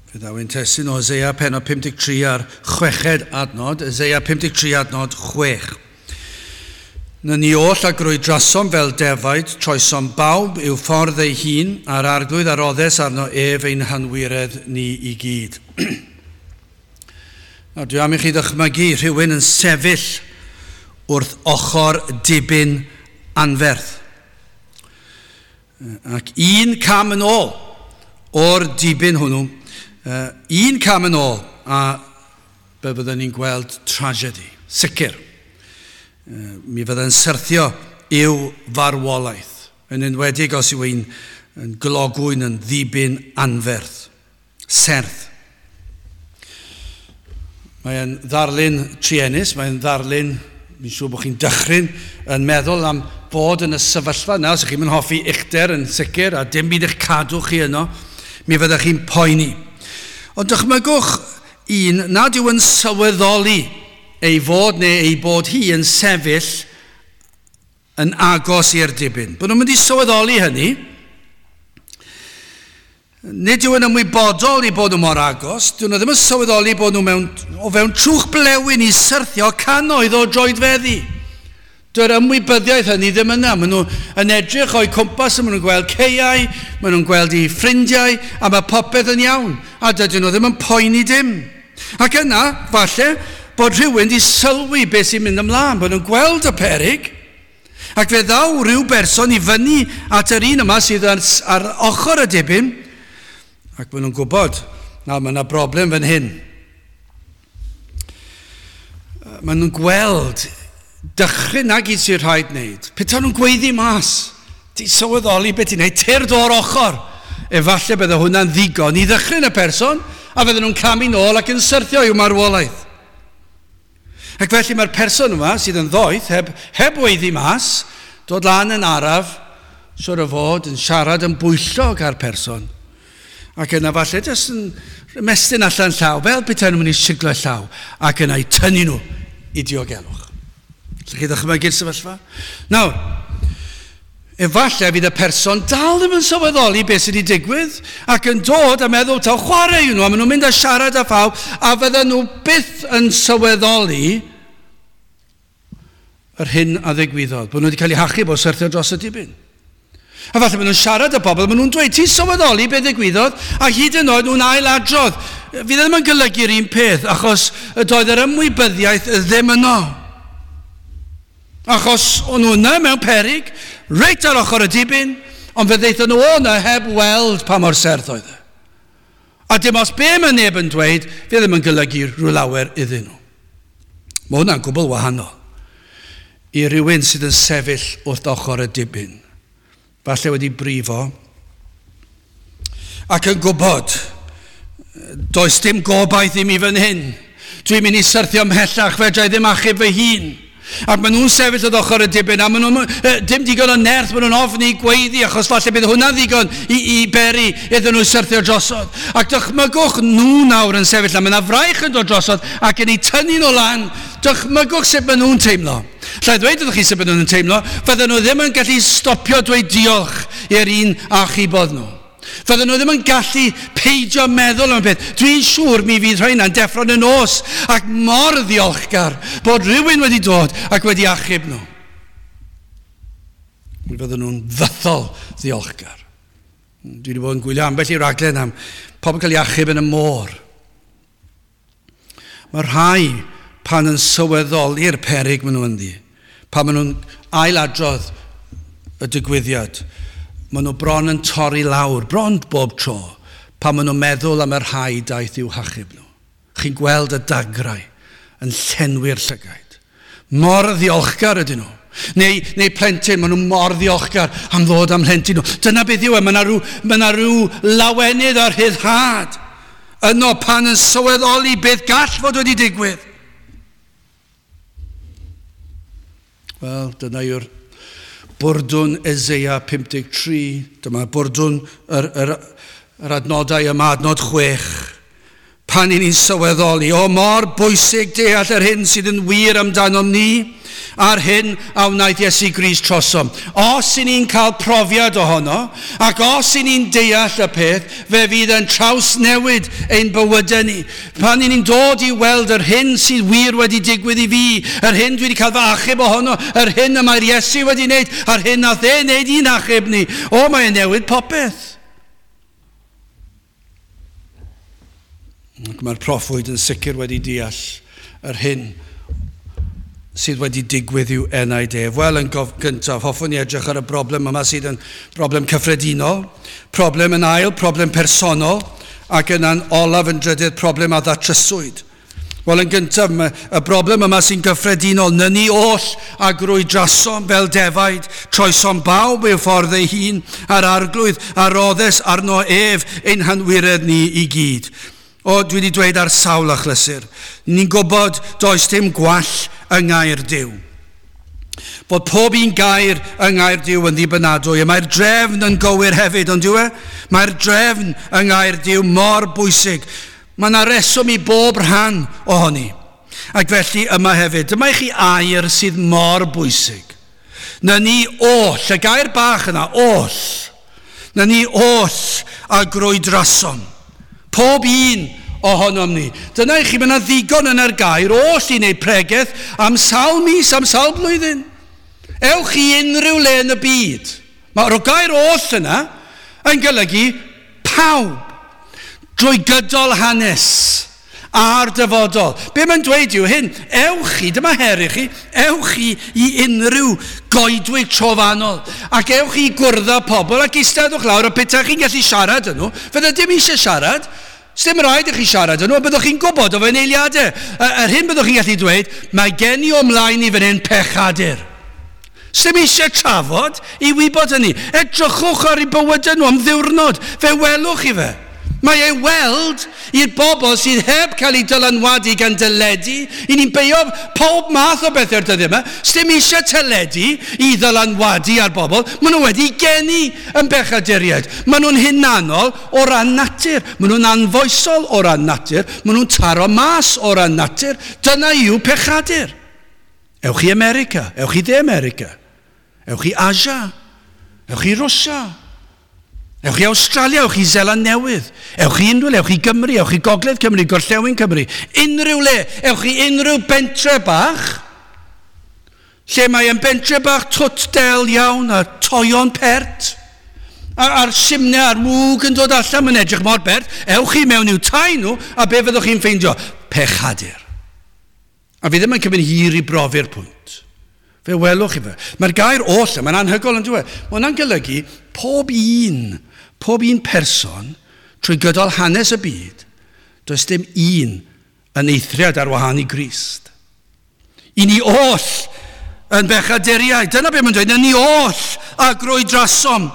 Fe ddaw ein testun o Eseia pennod 53 a'r chweched adnod, Eseia 53 adnod 6. Na ni oll a grwydrasom fel defaid, troesom bawb i'w ffordd ei hun, a'r arglwydd a roddes arno ef ein hanwiredd ni i gyd. Nawr, dwi am i chi ddychmygu rhywun yn sefyll wrth ochr dibyn anferth. Ac un cam yn ôl o'r dibyn hwnnw, un cam yn ôl, a be byddwn ni'n gweld tragedy, sicr. Mi fydde'n syrthio i'w farwolaeth, yn enwedig os yw ein yn glogwyn yn ddibyn anferth, serth. Mae'n ddarlun truenus, mae'n ddarlun, mi'n siŵr bod chi'n dychryn yn meddwl am fod yn y sefyllfa yna, os ydych chi'n hoffi uchder yn sicr a dim byd eich cadw chi yno, mi fyddech chi'n poeni. Ond dychmygwch un nad yw yn sylweddoli ei fod neu ei bod hi yn sefyll yn agos i'r dibyn. Bod nhw'n mynd i sylweddoli hynny. Nid yw yn ymwybodol i bod nhw mor agos. Dyn nhw ddim yn sylweddoli bod nhw mewn, o fewn trwch blewyn i syrthio cannoedd o droedfeddi. Dyw'r ymwybyddiaeth hynny ddim yna. Maen nhw yn edrych o'u cwmpas, maen nhw'n gweld caeau, maen nhw'n gweld eu ffrindiau, a mae popeth yn iawn. A dydyn nhw ddim yn poeni dim. Ac yna, falle, bod rhywun wedi sylwi beth sy'n mynd ymlaen, bod nhw'n gweld y peryg, ac fe ddaw rhyw berson i fyny at yr un yma sydd ar, ar ochr y dibyn, ac maen nhw'n gwybod, na, mae yna broblem fan hyn. Maen nhw'n gweld dychryn na gyd sy'n rhaid wneud. Petai nhw'n gweiddi mas, ti'n sylweddoli beth ti'n wneud, tyrd o'r ochr. Efallai bydde hwnna'n ddigon i ddychryn y person, a fydden nhw'n camu nôl ac yn syrthio i'w marwolaeth. Ac felly mae'r person yma sydd yn ddoeth, heb, heb weiddi mas, dod lan yn araf, siwr o fod yn siarad yn bwyllog â'r person. Ac yna falle jyst yn ymestyn allan llaw, fel petai nhw'n mynd i siglo llaw, ac yna i tynnu nhw i diogelwch. Allwch chi ddychmygu'r sefyllfa? Nawr, efallai fydd y person dal ddim yn sylweddoli beth sydd wedi digwydd ac yn dod a meddwl taw chwarae yw nhw, a maen nhw'n mynd a siarad â phawb, a fydden nhw byth yn sylweddoli yr hyn a ddigwyddodd, bod nhw wedi cael eu hachub o syrthio dros y dibyn. A falle maen nhw'n siarad â bobl, maen nhw'n dweud, ti'n sylweddoli beth ddigwyddodd, a hyd yn oed nhw'n ailadrodd. Fydd ddim yn golygu'r un peth, achos doedd yr ymwybyddiaeth ddim yno. Achos o'n nhw yna mewn peryg, reit ar ochr y dibyn, ond fe ddeithon nhw o yna heb weld pa mor serth oedd e. A dim os be mae neb yn dweud, fe ddim yn golygu rhyw lawer iddyn nhw. Mae hwnna'n gwbl wahanol i rywun sydd yn sefyll wrth ochr y dibyn. Falle wedi brifo ac yn gwybod does dim gobaith i mi fan hyn. Dwi'n mynd i syrthio ymhellach, fedra i ddim achub fy hun. Ac maen nhw'n sefyll wrth ochr y dibyn, a maen nhw'n dim digon o nerth, maen nhw'n ofni gweiddi, achos falle bydd hwnna'n ddigon i, i beri iddyn nhw syrthio drosodd. Ac dychmygwch nhw nawr yn sefyll, a mae yna fraich yn dod drosodd, ac yn eu tynnu nhw lan. Dychmygwch sut maen nhw'n teimlo. Lla i ddweud wrthych chi sut maen nhw'n teimlo, fydden nhw ddim yn gallu stopio dweud diolch i'r un achubodd nhw. Fydden nhw ddim yn gallu peidio meddwl am y peth. Dwi'n siŵr mi fydd rheina'n deffro yn y nos ac mor ddiolchgar bod rhywun wedi dod ac wedi achub nhw. Mi fydden nhw'n fythol ddiolchgar. Dwi wedi bod yn gwylio ambell i raglen am pobl cael ei achub yn y môr. Mae rhai pan yn sylweddoli'r peryg maen nhw ynddi, pan maen nhw'n ailadrodd y digwyddiad, maen nhw bron yn torri lawr, bron bob tro, pan maen nhw'n meddwl am y rhai daeth i'w hachub nhw. Chi'n gweld y dagrau yn llenwi'r llygaid. Mor ddiolchgar ydyn nhw. Neu, neu plentyn, maen nhw mor ddiolchgar am ddod am plentyn nhw. Dyna beth yw e, mae yna rhyw, mae yna rhyw lawenydd a rhyddhad yno pan yn sylweddoli beth gall fod wedi digwydd. Wel, dyna yw'r bwrdwn Eseia 53. Dyma bwrdwn yr, yr, yr adnodau yma, adnod 6. Pan i ni'n sylweddoli, o mor bwysig deall yr hyn sydd yn wir amdanom ni, A'r hyn a wnaeth Iesu Grist trosom. Os i ni'n cael profiad ohono, ac os i ni'n deall y peth, fe fydd yn trawsnewid ein bywydau ni. Pan i ni'n dod i weld yr hyn sydd wir wedi digwydd i fi, yr hyn dwi wedi cael fy achub ohono, yr hyn y mae'r Iesu wedi wneud, a'r hyn nath e wneud i'n achub ni. O, mae'n newid popeth. Ac mae'r proffwyd yn sicr wedi deall yr hyn sydd wedi digwydd i'w enaid ef. Wel, yn gyntaf, hoffwn i edrych ar y broblem yma sydd yn broblem cyffredinol, problem yn ail, problem personol, ac yna'n olaf yn drydydd, problem a ddatryswyd. Wel, yn gyntaf, y broblem yma sy'n gyffredinol, nyni oll a grwydrasom fel defaid, troesom bawb i'w ffordd ei hun, a'r arglwydd a roddes arno ef ein hanwiredd ni i gyd. O, dwi wedi dweud ar sawl achlysur, ni'n gwybod does dim gwall yng ngair Duw. Bod pob un gair yng ngair Duw yn ddibynadwy, a mae'r drefn yn gywir hefyd, ond dyw e? Mae'r drefn yng ngair Duw mor bwysig. Mae yna reswm i bob rhan ohoni. Ac felly yma hefyd, dyma i chi air sydd mor bwysig. Na ni oll, y gair bach yna, oll. Na ni oll a grwydrasom. Pob un ohonom ni. Dyna i chi, mae yna ddigon yn yr gair oll i wneud pregeth am sawl mis, am sawl blwyddyn. Ewch i unrhyw le yn y byd. Mae'r gair oll yna yn golygu pawb drwy gydol hanes a'r dyfodol. Be mae'n dweud yw hyn, ewch chi, dyma her i chi, ewch chi i unrhyw goedwig trofannol ac ewch chi i gwrdd â pobl ac eisteddwch lawr a petai chi'n gallu siarad â nhw, fydde dim eisiau siarad, sdim rhaid i chi siarad â nhw, byddwch chi'n gwybod o fewn eiliadau. Yr hyn byddwch chi'n gallu dweud, mae gen i o mlaen i fan hyn pechadur. Sdim eisiau trafod i wybod hynny. Edrychwch ar eu bywydau nhw am ddiwrnod, fe welwch chi fe. Mae ei weld i'r bobl sydd heb cael ei dylanwadu gan deledu. I ni'n beio pob math o bethau'r dyddiau yma. Sdim eisiau teledu i ddylanwadu ar bobl. Maen nhw wedi geni yn bechaduriaid. Maen nhw'n hunanol o ran natur. Maen nhw'n anfoesol o ran natur. Maen nhw'n taro mas o ran natur. Dyna yw pechadur. Ewch i America. Ewch i De America. Ewch i Asia. Ewch i Rwsia. Ewch i Awstralia, ewch i Seland Newydd, ewch i unrhyw le, ewch i Gymru, ewch i Gogledd Cymru, Gorllewin Cymru, unrhyw le, ewch i unrhyw bentre bach, lle mae yn bentre bach twt del iawn a toion pert, a'r simne a'r mwg yn dod allan, mae'n edrych mor bert, ewch i mewn i'w tai nhw, a be fyddwch chi'n ffeindio? Pechadur. A fi ddim yn cymryd hir i brofi'r pwynt. Fe welwch chi fe. Mae'r gair oll, mae'n anhygoel yn dweud. Mae hwnna'n golygu pob un person trwy gydol hanes y byd, does dim un yn eithriad ar wahân i Grist. I ni oll yn bechaduriaid. Dyna beth mae'n dweud, ni oll a grwydrasom.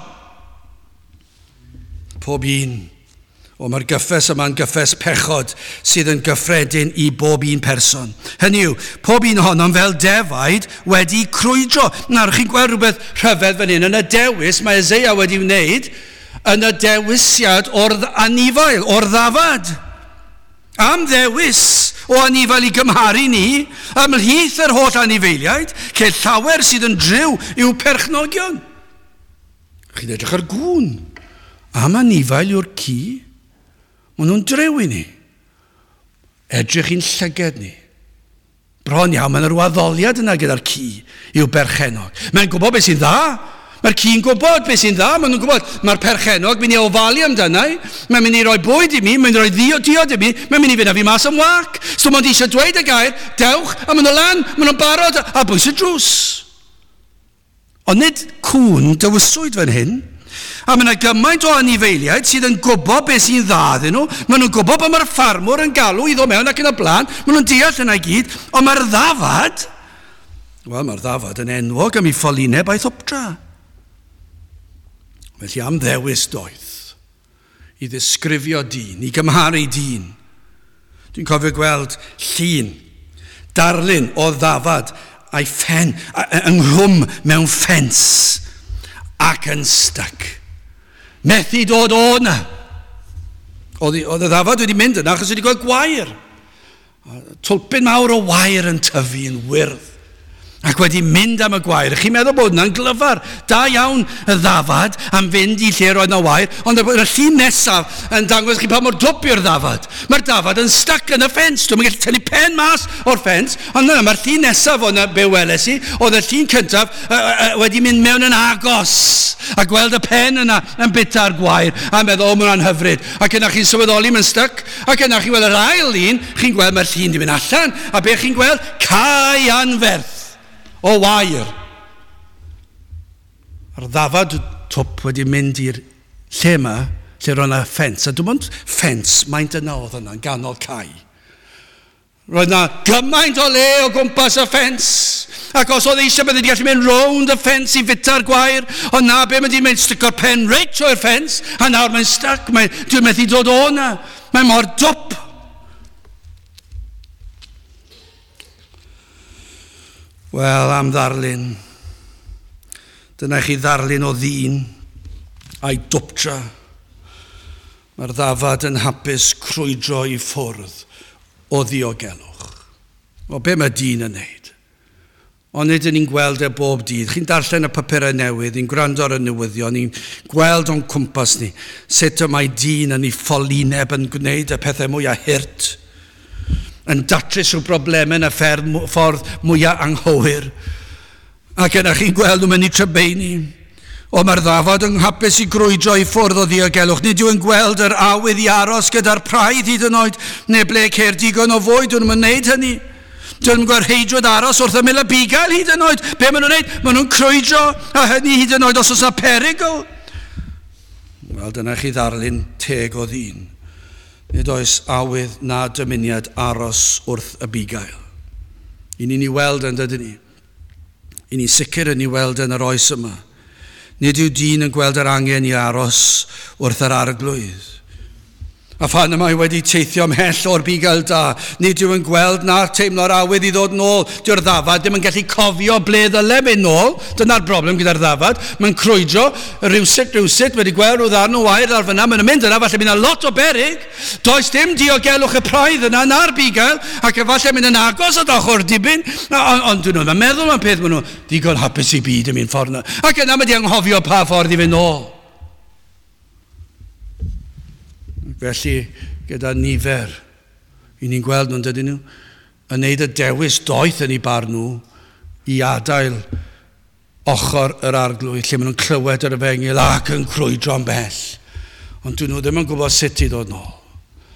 Pob un. O, mae'r gyffes yma'n gyffes pechod sydd yn gyffredin i bob un person. Hynny yw, pob un ohonom fel defaid wedi crwydro. Nawr, chi'n gweld rhywbeth rhyfedd fan hyn. Yn y dewis mae Eseia wedi wneud, yn y dewisiad o'r anifail, o'r ddafad. Am ddewis o anifail i gymharu ni, ymhlith yr holl anifeiliaid, lle llawer sydd yn driw i'w perchnogion. Chi'n edrych ar gŵn. Am anifail yw'r ci, maen nhw'n drew i ni. Edrych i'n llyged ni. Bron iawn, mae'n rhyw addoliad yna gyda'r ci i'w berchenog. Mae'n gwybod beth sy'n dda. Mae'r ci'n gwybod beth sy'n dda. Maen nhw'n gwybod, mae'r perchenog mynd i ofalu amdana i. Mae'n mynd i roi bwyd i mi, mae'n rhoi diod i mi, mae'n mynd i fynd â fi mas am wac. So mae'n eisiau dweud y gair, dewch, a maen nhw lan, maen nhw'n barod, a bwys y drws. Ond nid cŵn dywyswyd fan hyn. A mae yna gymaint o anifeiliaid sydd yn gwybod beth sy'n dda iddyn nhw. Maen nhw'n gwybod bod mae'r ffarmwr yn galw i ddod mewn ac yn y blaen. Maen nhw'n deall yna i gyd. Ond mae'r ddafad, wel mae'r ddafad yn enwog am ei ffolineb a'i thopdra. Felly am ddewis doeth i ddisgrifio dyn, i gymharu dyn. Dwi'n cofio gweld llun, darlun o ddafad a'i ffen, ynghlwm mewn ffens ac yn styc. Methu dod o yna. Oedd y ddafad wedi mynd yna achos wedi gweld gwair. Twlpyn mawr o wair yn tyfu yn wyrdd. Ac wedi mynd am y gwair. Chi'n meddwl bod hwnna'n glyfar. Da iawn y ddafad am fynd i lle roedd yna wair, ond y llun nesaf yn dangos chi pa mor dwp yw'r ddafad. Mae'r dafad yn stuck yn y ffens. Dwi'n gallu tynnu pen mas o'r ffens, ond yna mae'r llun nesaf o'na be weles i, oedd y llun cyntaf wedi mynd mewn yn agos a gweld y pen yna yn bita'r gwair a meddwl, o, mae hwnna'n hyfryd. Ac yna chi'n sylweddoli mae'n stuck, ac yna chi'n gweld yr ail un, chi'n gweld mae'r llun di mynd allan, a be chi'n gweld? Cae anferth o wair. A'r ddafad twp wedi mynd i'r lle yma, lle roedd yna ffens. A dim ond ffens, maint yna oedd yna, yn ganol cae. Roedd yna gymaint o le o gwmpas y ffens. Ac os oedd eisiau, bydde wedi gallu mynd rownd y ffens i fita'r gwair. Ond na, be mae wedi mynd, stico'r pen reit trwy'r ffens. A nawr mae'n stuck, dwi'n methu dod o na. Mae mor dwp. Wel, am ddarlun. Dyna chi ddarlun o ddyn a'i dwptra. Mae'r ddafad yn hapus crwydro i ffwrdd o ddiogelwch. O, be mae dyn yn neud? Ond nid ni'n gweld e bob dydd. Chi'n darllen y papurau newydd, ni'n gwrando ar y newyddion, ni'n gweld o'n cwmpas ni sut y mae dyn yn ei ffolineb yn gwneud y pethau mwyaf hurt, yn datrys rhyw broblemau yn y ffordd mwyaf anghywir. Ac yna chi'n gweld nhw'n mynd i trybeini. O, mae'r ddafad yn hapus i grwydro i ffwrdd o ddiogelwch. Nid yw'n gweld yr awydd i aros gyda'r praidd hyd yn oed, neu ble ceir digon o fwyd, nhw'n gwneud hynny. Dyn nhw'n gweld rheidrwydd aros wrth ymyl y bugail hyd yn oed. Be maen nhw'n gwneud? Maen nhw'n crwydro, a hynny hyd yn oed os oes yna perygl. Wel, dyna chi ddarlun teg o ddyn. Nid oes awydd na dymuniad aros wrth y bugail. I ni'n ei weld yn dydyn ni. I ni'n sicr yn ei weld yn yr oes yma. Nid yw dyn yn gweld yr angen i aros wrth yr arglwydd. A phan y mae wedi teithio ymhell o'r bugail da, nid yw yn gweld na teimlo'r awydd i ddod nôl. Dyw'r ddafad ddim yn gallu cofio ble ddyle mynd nôl. Dyna'r broblem gyda'r ddafad. Mae'n crwydro rywsut, wedi gweld rhyw ddarn o wair ar fyna. Mae'n mynd yna, falle mynd yna lot o berig. Does dim diogelwch y praidd yna na'r bugail, ac efallai mynd yn agos at ochr dibyn. Ond dyn nhw'n meddwl am peth, maen nhw digon hapus i byd yn mynd ffordd yna. Ac yna mae di anghofio pa ffordd i fynd nôl. Felly, gyda nifer, i ni'n gweld nhw'n dydyn nhw, yn neud y dewis doeth yn eu barn nhw i adael ochr yr arglwydd, lle maen nhw'n clywed yr efengyl ac yn crwydro'n bell. Ond dyn nhw ddim yn gwybod sut i ddod nôl.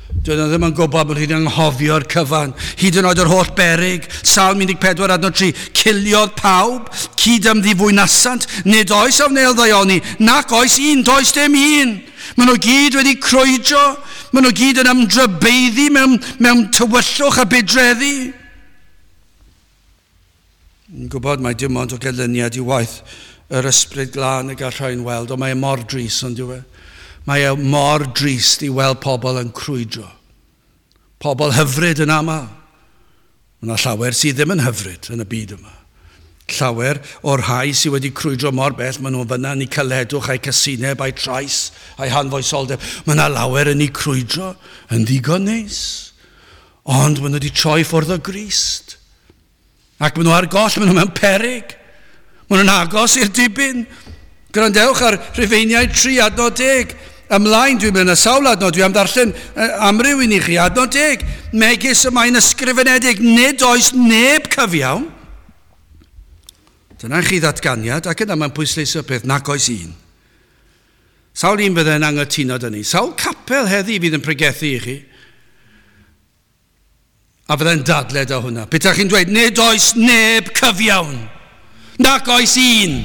Dyn nhw ddim yn gwybod bod nhw'n anghofio'r cyfan, hyd yn oed yr holl berig. Salm 14 adnod 3, ciliodd pawb, cyd ymddifwynasant, nid oes a wnêl ddaioni, nac oes un, does dim un. Maen nhw gyd wedi crwydro, maen nhw gyd yn ymdrybeiddi mewn tywyllwch a budreddi. Yn gwybod mai dim ond o ganlyniad i waith yr ysbryd glân y gall rhain weld, ond mae e mor drist, ond yw e? Mae e mor drist i weld pobl yn crwydro. Pobl hyfryd yn aml. Mae yna llawer sydd ddim yn hyfryd yn y byd yma. Llawer o'r rhai sydd wedi crwydro mor bell, maen nhw'n fyna yn eu caledwch, a'u casineb, a'u trais, a'u hanfoesoldeb. Mae yna lawer yn eu crwydro yn ddigon neis. Ond maen nhw wedi troi ffwrdd o Grist. Ac maen nhw ar goll, maen nhw mewn peryg. Maen nhw'n agos i'r dibyn. Gwrandewch ar Rhufeiniaid 3 adnod 10. Ymlaen, dwi'n mynd y sawl adnod, dwi am ddarllen amryw i ni chi, adnod 10. Megis y mae'n ysgrifenedig, nid oes neb cyfiawn. Dyna chi ddatganiad, ac yna mae'n pwysleisio peth, nac oes un. Sawl un fydde'n anghytuno dyn ni. Sawl capel heddi fydd yn pregethu i chi. A fydde'n dadle da hwnna. Petai chi'n dweud, nid oes neb cyfiawn, nac oes un.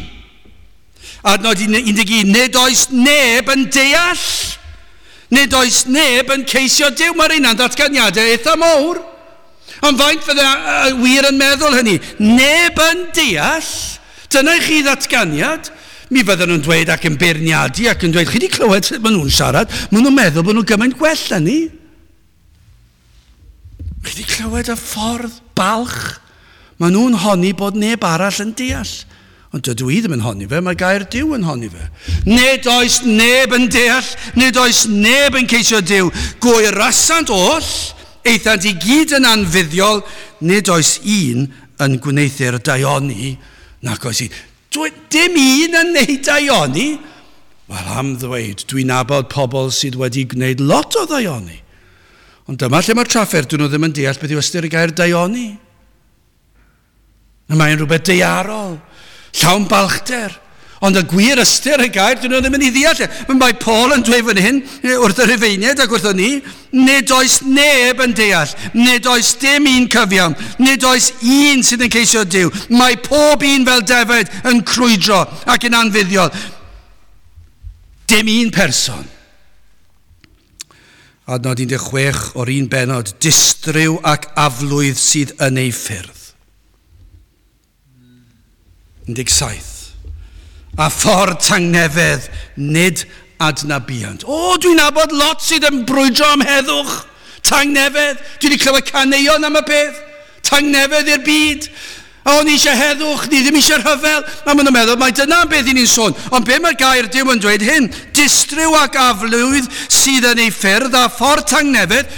Adnod 11, nid oes neb yn deall. Nid oes neb yn ceisio Duw. Mae'r un ddatganiadau eitha mawr. Ond faint fydde wir yn meddwl hynny? Neb yn deall. Dyna i chi ddatganiad. Mi fydden nhw'n dweud ac yn beirniadu ac yn dweud, chi wedi clywed sut maen nhw'n siarad? Maen nhw'n meddwl bod nhw'n gymaint gwell na ni. Chi wedi clywed y ffordd balch? Maen nhw'n honni bod neb arall yn deall. Ond dydw i ddim yn honni fe, mae gair Duw yn honni fe. Nid oes neb yn deall, nid oes neb yn ceisio Duw. Gwaerasant oll, eithant i gyd yn anfuddiol, nid oes un yn gwneuthur daioni, nac oes un. Dim un yn neud daioni. Wel, am ddweud, dwi'n nabod pobl sydd wedi gwneud lot o ddaioni. Ond dyma lle mae'r trafferth, dyn nhw ddim yn deall beth yw ystyr y gair daioni. Mae'n rhywbeth daearol, llawn balchder. Ond y gwir ystyr y gair, dyn nhw ddim yn ei ddeall e. Mae Paul yn dweud fan hyn, wrth y Rhufeiniaid ac wrthon ni, nid oes neb yn deall, nid oes dim un cyfiawn, nid oes un sydd yn ceisio Duw. Mae pob un fel defaid yn crwydro ac yn anfuddiol. Dim un person. Adnod 16 o'r un benod, distryw ac aflwydd sydd yn ei ffyrdd. 17. A ffordd tangnefedd, nid adnabiant. O, dwi'n nabod lot sydd yn brwydro am heddwch. Tangnefedd. Dwi wedi clywed caneuon am y peth. Tangnefedd i'r byd. O, ni eisiau heddwch, ni ddim eisiau rhyfel. A maen nhw'n meddwl, mae dyna am beth i ni'n sôn. Ond be mae'r gair Duw yn dweud hyn? Distryw ac aflwydd sydd yn ei ffyrdd a ffordd tangnefedd,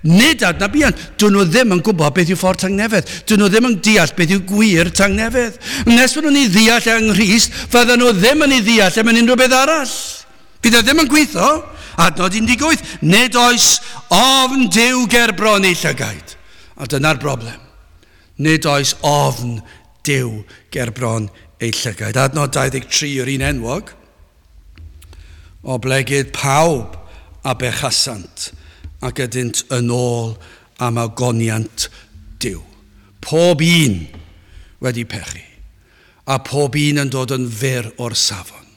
nid adnabiant. Dyn nhw ddim yn gwybod beth yw ffordd tangnefedd. Dyn nhw ddim yn deall beth yw gwir tangnefedd. Nes maen nhw'n ei ddeall yng Nghrist, fydden nhw ddim yn ei ddeall am unrhyw beth arall. Bydd e ddim yn gweithio. Adnod 18, nid oes ofn Duw ger bron ei llygaid. A dyna'r broblem. Nid oes ofn Duw ger bron ei llygaid. Adnod 23 yw'r un enwog. Oblegid pawb a bechasant ac ydynt yn ôl am ogoniant Duw. Pob un wedi pechu, a pob un yn dod yn fyr o'r safon.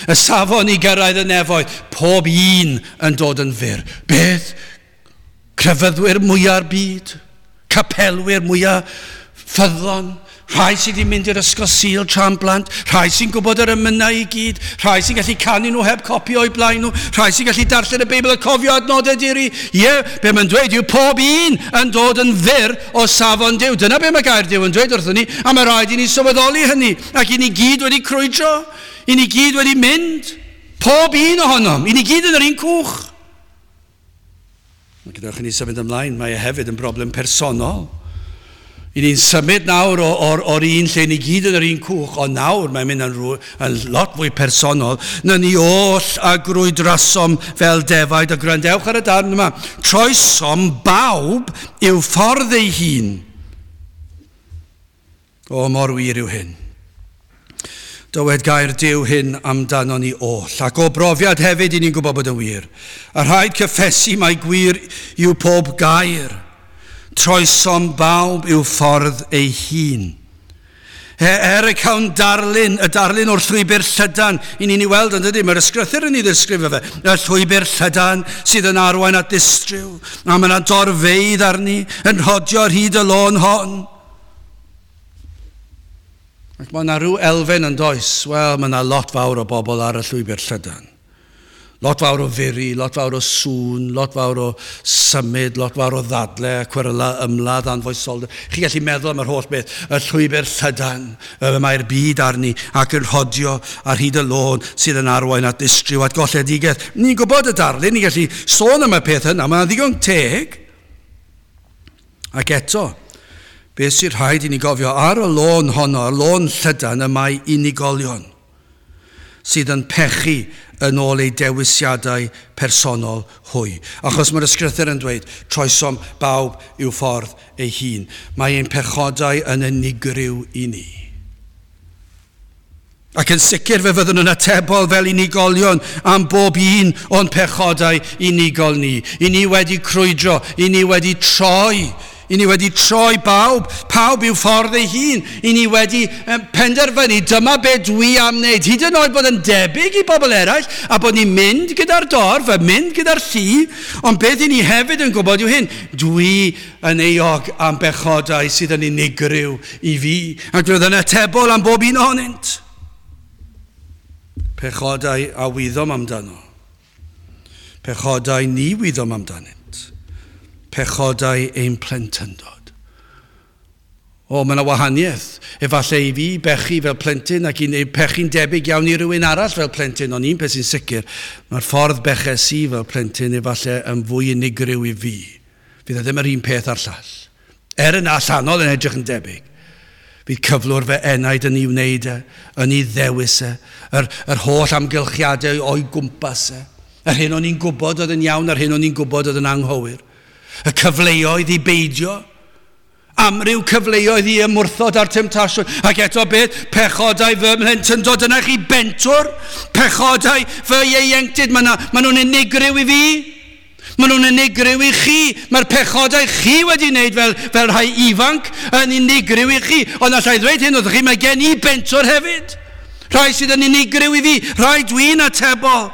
Y safon i gyrraedd y nefoedd, pob un yn dod yn fyr. Beth? Crefyddwyr mwyaf byd, capelwyr mwyaf ffyddlon, rhai sydd wedi mynd i'r ysgol Sul tra'n blant, rhai sy'n gwybod yr emynau i gyd, rhai sy'n gallu canu nhw heb copi o'i blaen nhw, rhai sy'n gallu darllen y Beibl a cofio adnodau diri. Ie, be mae'n dweud yw pob un yn dod yn fyr o safon Duw. Dyna be mae gair Duw yn dweud wrthon ni, a mae rhaid i ni sylweddoli hynny, ac i ni gyd wedi crwydro, i ni gyd wedi mynd, pob un ohonom, i ni gyd yn yr un cwch. Gadewch i ni symud ymlaen, mae e hefyd yn broblem personol. I ni'n symud nawr o'r un lle ni gyd yn yr un cwch, ond nawr mae'n mynd yn lot fwy personol. Na ni oll a grwydrasom fel defaid, a gwrandewch ar y darn yma. Troesom bawb i'w ffordd ei hun. O, mor wir yw hyn. Dywed gair Duw hyn amdano ni oll, ac o brofiad hefyd i ni'n gwybod bod yn wir. A rhaid cyffesu mai gwir yw pob gair. Troesom bawb i'w ffordd ei hun. Er y cawn darlun, y darlun o'r llwybr llydan, i ni'n ei weld yn dydy, mae'r ysgrythur yn ei ddisgrifio fe, y llwybr llydan sydd yn arwain at distryw, a mae yna dorfeydd arni yn rhodio ar hyd y lôn hon. Ac mae yna rhyw elfen yn does, wel, mae yna lot fawr o bobl ar y llwybr llydan. Lot fawr o furi, lot fawr o sŵn, lot fawr o symud, lot fawr o ddadle, cweryla, ymladd, anfoesoldeb. Chi'n gallu meddwl am yr holl beth, y llwybr llydan, mae'r byd arni ac yn rhodio ar hyd y lôn sydd yn arwain at distryw, at golledigaeth. Ni'n gwybod y darlun, ni'n gallu sôn am y peth yna, mae'n ddigon teg. Ac eto, beth sy'n rhaid i ni gofio ar y lôn honno, y lôn llydan, y mae unigolion sydd yn pechu yn ôl eu dewisiadau personol hwy. Achos mae'r ysgrythur yn dweud, troesom bawb i'w ffordd ei hun. Mae ein pechodau yn unigryw i ni. Ac yn sicr fe fyddwn yn atebol fel unigolion am bob un o'n pechodau unigol ni. I ni wedi crwydro, i ni wedi troi, i ni wedi troi bawb, pawb i'w ffordd ei hun. I ni wedi penderfynu, dyma be dwi am wneud. Hyd yn oed bod yn debyg i bobl eraill, a bod ni'n mynd gyda'r dorf, a mynd gyda'r llu, ond beth i ni hefyd yn gwybod yw hyn, dwi yn euog am bechodau sydd yn unigryw i fi, ac fydd yn atebol am bob un ohonynt. Pechodau a wyddom amdano. Pechodau ni wyddom amdanynt. Pechodau ein plentyndod. O, mae yna wahaniaeth. Efallai i fi bechu fel plentyn ac i pechu'n debyg iawn i rywun arall fel plentyn, ond un peth sy'n sicr, mae'r ffordd beches i fel plentyn efallai yn fwy unigryw i fi. Fydd e ddim yr un peth a'r llall. Er yn allanol yn edrych yn debyg. Bydd cyflwr fy enaid yn ei wneud e, yn ei ddewis e, yr holl amgylchiadau o'i gwmpas e. Yr hyn o'n i'n gwybod oedd yn iawn, yr hyn o'n i'n gwybod oedd yn anghywir. Y cyfleoedd i beidio, amryw cyfleoedd i ymwrthod â'r temtasiwn. Ac eto beth, pechodau fy mhlentyndod, dyna chi bentwr, pechodau fy ieuenctid, maen nhw'n unigryw i fi. Maen nhw'n unigryw i chi. Mae'r pechodau chi wedi wneud fel rhai ifanc yn unigryw i chi. Ond allai ddweud hyn wrthych chi, mae gen i bentwr hefyd. Rhai sydd yn unigryw i fi, rhai dwi'n atebol.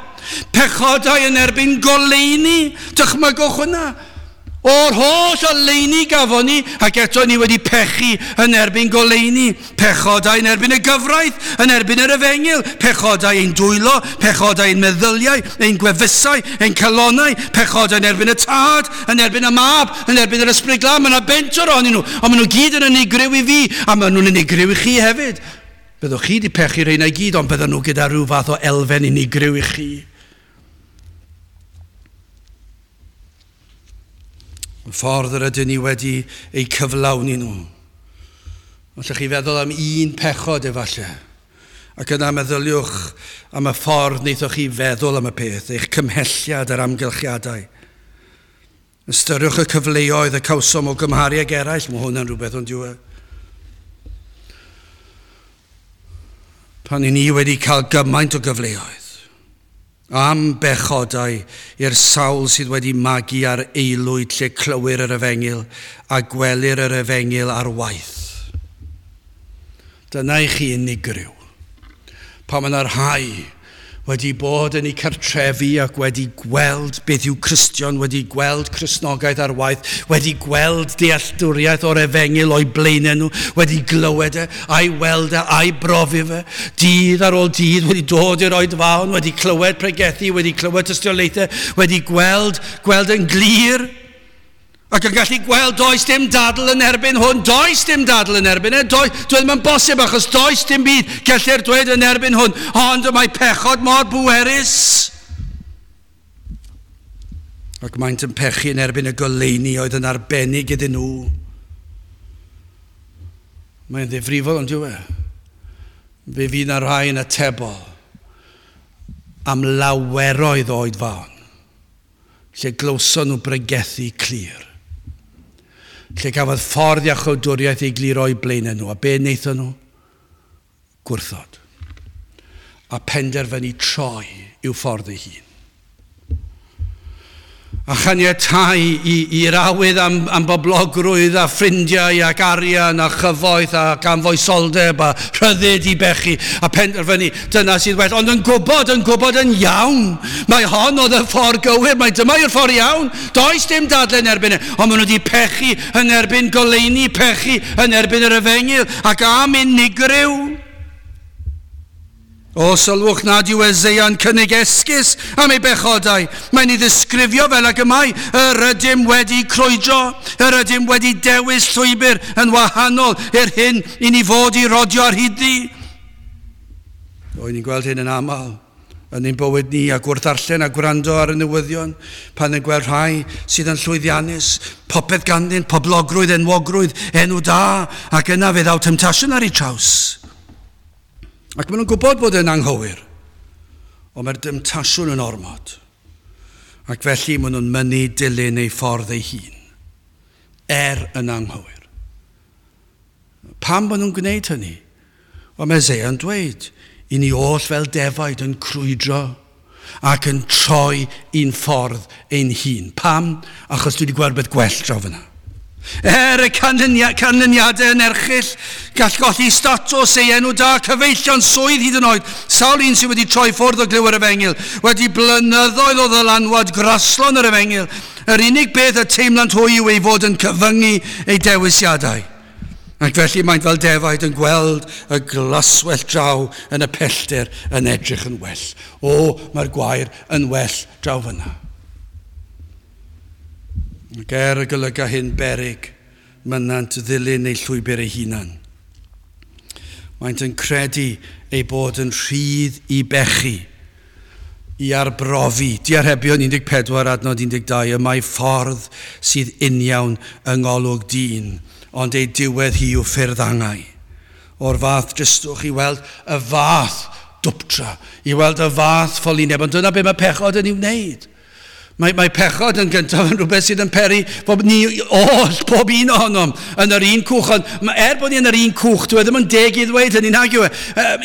Pechodau yn erbyn goleuni, dychmygwch hwnna. O'r holl oleuni gafon ni, ac eto ni wedi pechu yn erbyn goleuni. Pechodau yn erbyn y gyfraith, yn erbyn yr efengyl. Pechodau ein dwylo, pechodau ein meddyliau, ein gwefusau, ein calonnau. Pechodau yn erbyn y tad, yn erbyn y mab, yn erbyn yr ysbryd glân. Mae yna bentwr ohonyn nhw, ond maen nhw gyd yn unigryw i fi, a maen nhw'n unigryw i chi hefyd. Byddwch chi wedi pechu rheina i gyd, ond bydden nhw gyda rhyw fath o elfen unigryw i chi. Y ffordd yr ydyn ni wedi eu cyflawni nhw. Allwch chi feddwl am un pechod efallai. Ac yna meddyliwch am y ffordd wnaethoch chi feddwl am y peth, eich cymhelliad a'r amgylchiadau. Ystyriwch y cyfleoedd y cawsom o gymharu ag eraill, mae hwn yn rhywbeth ond yw e. Pan i ni wedi cael gymaint o gyfleoedd am bechodau i'r sawl sydd wedi magu ar aelwyd lle clywir yr efengyl a gwelir yr efengyl ar waith. Dyna i chi unigryw. Pan mae yna rhai wedi bod yn eu cartrefi ac wedi gweld beth yw Cristion, wedi gweld Cristnogaeth ar waith, wedi gweld dealltwriaeth o'r efengyl o'i blaenau nhw, wedi glywed e, a'i weld e, a'i brofi fe, dydd ar ôl dydd, wedi dod i'r oedfaon, wedi clywed pregethu, wedi clywed tystiolaethau, wedi gweld yn glir, ac yn gallu gweld does dim dadl yn erbyn hwn, does dim dadl yn erbyn e, dwi ddim yn bosib achos does dim byd gellir dweud yn erbyn hwn, ond mae pechod mor bwerus. Ac maent yn pechu yn erbyn y goleuni oedd yn arbennig iddyn nhw. Mae'n ddifrifol ond yw e. Fe fydd na rhai yn atebol am laweroedd o oedfaon, lle glywson nhw bregethu clir. Lle gafodd ffordd iachawdwriaeth ei glir o'i blaenau nhw. A be wnaethon nhw? Gwrthod. A penderfynu troi i'w ffordd ei hun. A chaniatáu i'r awydd am boblogrwydd a ffrindiau ac arian a chyfoeth ac am foesoldeb a rhyddid i bechu a penderfynu dyna sydd well. Ond yn gwybod yn iawn, mae hon oedd y ffordd gywir, mae dyma yw'r ffordd iawn. Does dim dadle yn erbyn e, ond maen nhw wedi pechu yn erbyn goleuni, pechu yn erbyn yr efengyl ac am unigryw. O, sylwch nad yw Eseia'n cynnig esgus am ei bechodau. Mae'n ei ddisgrifio fel ag y mae. Yr ydym wedi crwydro, yr ydym wedi dewis llwybr yn wahanol i'r hyn i ni fod i rodio ar hyd-ddi. O, ni'n gweld hyn yn aml yn ein bywyd ni ac wrth ddarllen a gwrando ar y newyddion pan yn gweld rhai sydd yn llwyddiannus, popeth ganddyn, poblogrwydd, enwogrwydd, enw da, ac yna fe ddaw temtasiwn ar eu traws. Ac maen nhw'n gwybod bod yn anghywir, ond mae'r demtasiwn yn ormod. Ac felly maen nhw'n mynnu dilyn eu ffordd eu hun, er yn anghywir. Pam maen nhw'n gwneud hynny? Wel, mae Eseia'n dweud, i ni oll fel defaid yn crwydro ac yn troi un ffordd ein hun. Pam? Achos dwi wedi gweld beth gwell draw fyna. Er y canlyniadau yn erchyll, gall golli statws ei enw da, cyfeillion swydd hyd yn oed. Sawl un sydd wedi troi ffwrdd o glyw yr efengyl, wedi blynyddoedd o ddylanwad graslon yr efengyl. Yr unig beth y teimlant hwy yw ei fod yn cyfyngu ei dewisiadau. Ac felly maent fel defaid yn gweld y glaswellt draw yn y pellter yn edrych yn well. O, mae'r gwair yn well draw fyna. Ac er y golyga hyn beryg, mynant ddilyn eu llwybr eu hunan. Maent yn credu ei bod yn rhydd i bechu, i arbrofi. Diarhebion 14 adnod 12, y mae ffordd sydd uniawn yng ngolwg dyn, ond ei diwedd hi yw ffyrdd angau. o'r fath dristwch, i weld y fath dwptra, i weld y fath ffolineb, ond dyna be mae pechod yn ei wneud. Mae pechod yn gyntaf yn rhywbeth sydd yn peri bod ni oll, pob un ohonom, yn yr un cwch. Ond er bod ni yn yr un cwch, dwi e ddim yn deg i ddweud hynny, nag yw e.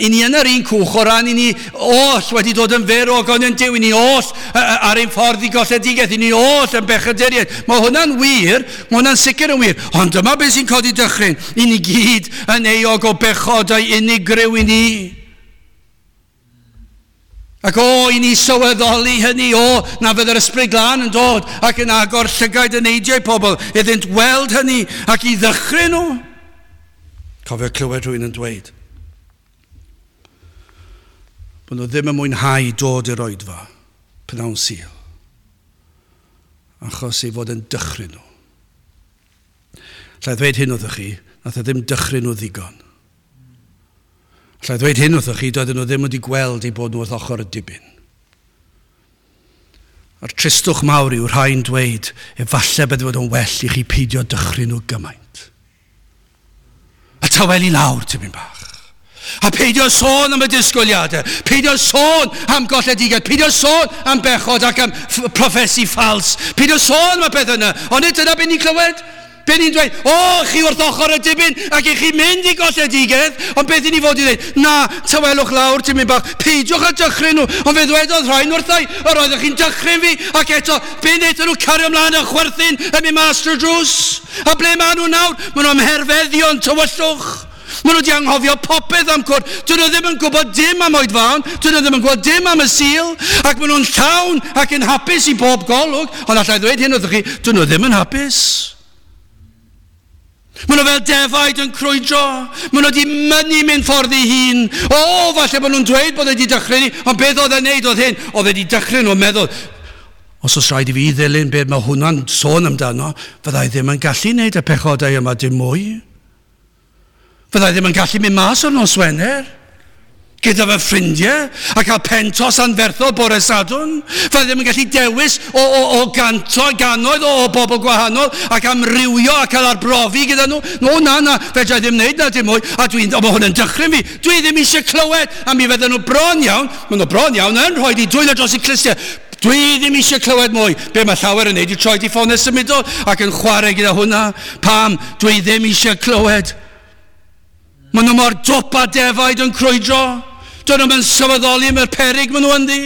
I ni yn yr un cwch o ran i ni oll wedi dod yn fyr o ogoniant Duw, i ni oll ar ein ffordd i golledigaeth, i ni oll yn bechaduriaid. Mae hwnna'n wir, mae hwnna'n sicr yn wir. Ond dyma beth sy'n codi dychryn. I ni gyd yn euog o bechodau unigryw i ni. Ac o, i ni sylweddoli hynny, o, na fydd yr Ysbryd Glân yn dod ac yn agor llygaid eneidiau pobl iddynt weld hynny ac i ddychryn nhw. Cofio clywed rhywun yn dweud bod nhw ddim yn mwynhau dod i'r oedfa pnawn Sul, achos ei fod yn dychryn nhw. Alla i ddweud hyn wrthych chi, nath e ddim dychryn nhw ddigon. Alla i ddweud hyn wrthych chi, doedden nhw ddim wedi gweld eu bod nhw wrth ochr y dibyn. A'r tristwch mawr yw rhai'n dweud, efallai bydde fod yn well i chi peidio dychryn nhw gymaint. A tawelu lawr tipyn bach. A peidio sôn am y disgwyliadau, peidio sôn am golledigaeth, peidio sôn am bechod ac am proffesi ffals, peidio sôn am y peth yna. Ond nid dyna beth ni'n clywed. Be ni'n dweud, o, chi wrth ochr y dibyn ac i chi mynd i golledigaeth, ond beth i ni fod i ddweud? Na, tawelwch lawr tipyn bach, peidiwch â dychryn nhw. Ond fe ddwedodd rhain wrthai, yr oeddech chi'n dychryn fi, ac eto, be wnaethon nhw cario ymlaen yn chwerthin yn mynd mas drwy'r drws? A ble maen nhw nawr? Maen nhw ym mherfeddion tywyllwch. Maen nhw wedi anghofio popeth am cwrdd. Dyn nhw ddim yn gwybod dim am oedfaon. Dyn nhw ddim yn gwybod dim am y Sul. Ac maen nhw'n llawn ac yn hapus i bob golwg. Ond allai ddweud hyn wrthych chi, dyn nhw ddim yn hapus. Maen nhw fel defaid yn crwydro. Maen nhw wedi mynnu mynd ffordd ei hun. O, falle bod nhw'n dweud bod wedi dychryn ni, ond beth oedd e'n neud oedd hyn? Oedd wedi dychryn nhw'n meddwl, os oes rhaid i fi ddilyn beth mae hwnna'n sôn amdano, fyddai ddim yn gallu wneud y pechodau yma dim mwy. Fyddai ddim yn gallu mynd mas o'r nos Wener gyda fy ffrindiau a cael pentos anferthol bore Sadwrn. Fyddai ddim yn gallu dewis o ganto, gannoedd o bobl gwahanol ac amrywio a cael arbrofi gyda nhw. No, na, na, fedra i ddim wneud na dim mwy. A dwi'n, o, mae hwn yn dychryn fi. Dwi ddim eisiau clywed. A mi fydden nhw bron iawn, maen nhw bron iawn yn rhoi di dwylo dros eu clustiau. Dwi ddim eisiau clywed mwy. Be mae llawer yn neud i troi di ffonau symudol ac yn chwarae gyda hwnna. Pam? Dwi ddim eisiau clywed. Maen nhw mor dwp a defaid yn crwydro. Dyn nhw'n sylweddoli am yr perig maen nhw ynddi.